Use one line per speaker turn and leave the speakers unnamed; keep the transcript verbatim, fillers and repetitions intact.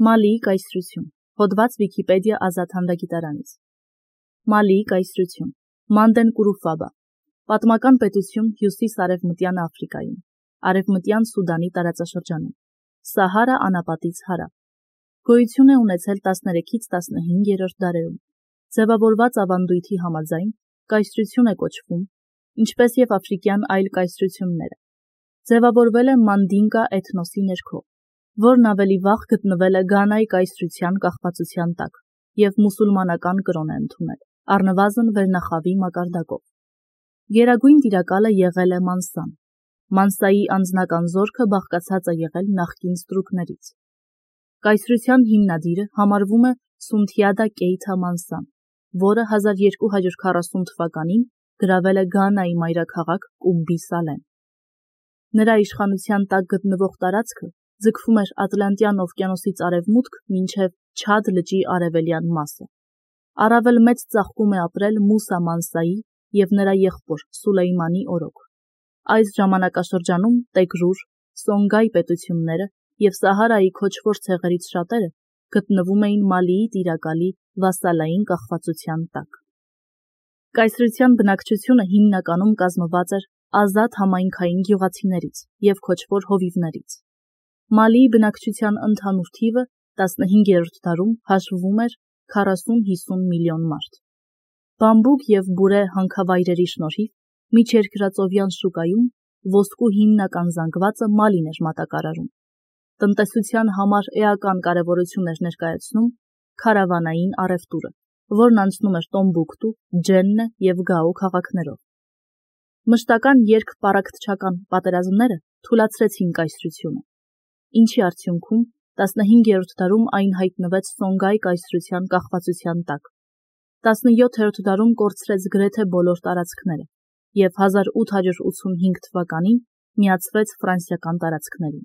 Մալիի կայսրություն, հոդված Վիքիպեդիա ազատ հանդագիտարանից։ Մալիի կայսրություն, Մանդեն Կուրուֆաբա, պատմական պետություն հյուսիս-արևմտյան Աֆրիկայում, արևմտյան Սուդանի տարածաշրջանում, Սահարա անապատից հարավ։ Գոյություն է ունեցել տասներեքից տասնհինգերորդ դարերում, ձևավորված ավանդույթի համաձայն կայսրություն է կոչվում, ինչպես և աֆրիկյան այլ կայսրությունները։ Ձևավորվել է Մանդինկա էթնոսի ներքո, որն ավելի վաղ գտնվել է Գանայի կայսրության կախվածության տակ և մուսուլմանական կրոն է ընդունել, առնվազն վերնախավի մակարդակով։ Գերագույն տիրակալը եղել է Մանսան։ Մանսայի անձնական զորքը բաղկացած է եղել նախկին ստրուկներից։ Կայսրության հիմնադիրը համարվում է Սունթիադա Կեյթա Մանսան, որը հազար երկու հարյուր քառասուն թվականին գրավել է Գանայի մայրաքաղաք Կումբի Սալեն։ Նրա իշխանության տակ գտնվող տարածքը ձգվում էր Ատլանտյան օվկիանոսից արևմուտք մինչև Չադ լճի արևելյան մասը։ Առավել մեծ ծաղկում է ապրել Մուսա Մանսայի և նրա եղբոր Սուլեյմանի օրոք։ Այս ժամանակաշրջանում Տեգրուր, Սոնգայ պետությունները և Սահարայի քոչվոր ցեղերից շատերը գտնվում էին Մալիի տիրակալի վասալային կախվածության տակ։ Կայսրության բնակչությունը հիմնականում կազմված էր ազատ համայնքային գյուղացիներից և քոչվոր հովիվներից։ Մալիի բնակչության ընդհանուր թիվը տասնհինգերորդ դարում հաշվվում էր քառասուն-հիսուն միլիոն մարդ։ Բամբուկ և բուրե հանքավայրերի շնորհիվ միջերկրածովյան շուկայում ոսկու հիմնական զանգվածը Մալին էր մատակարարում։ Տնտեսության համար էական կարևորություն էր ներկայացնում քարավանային առևտուրը, որն անցնում էր Տոմբուկտու, Ջեննե և Գաո քաղաքներով։ Մշտական երգպառակտչական պատերազմները թուլացրեցին կայսրությունը, ինչի արդյունքում տասնհինգերորդ դարում այն հայտնվեց Սոնգայ կայսրության կախվածության տակ։ տասնյոթերորդ դարում կորցրեց գրեթե բոլոր տարածքները և հազար ութ հարյուր ութսունհինգ թվականին միացվեց ֆրանսիական տարածքներին։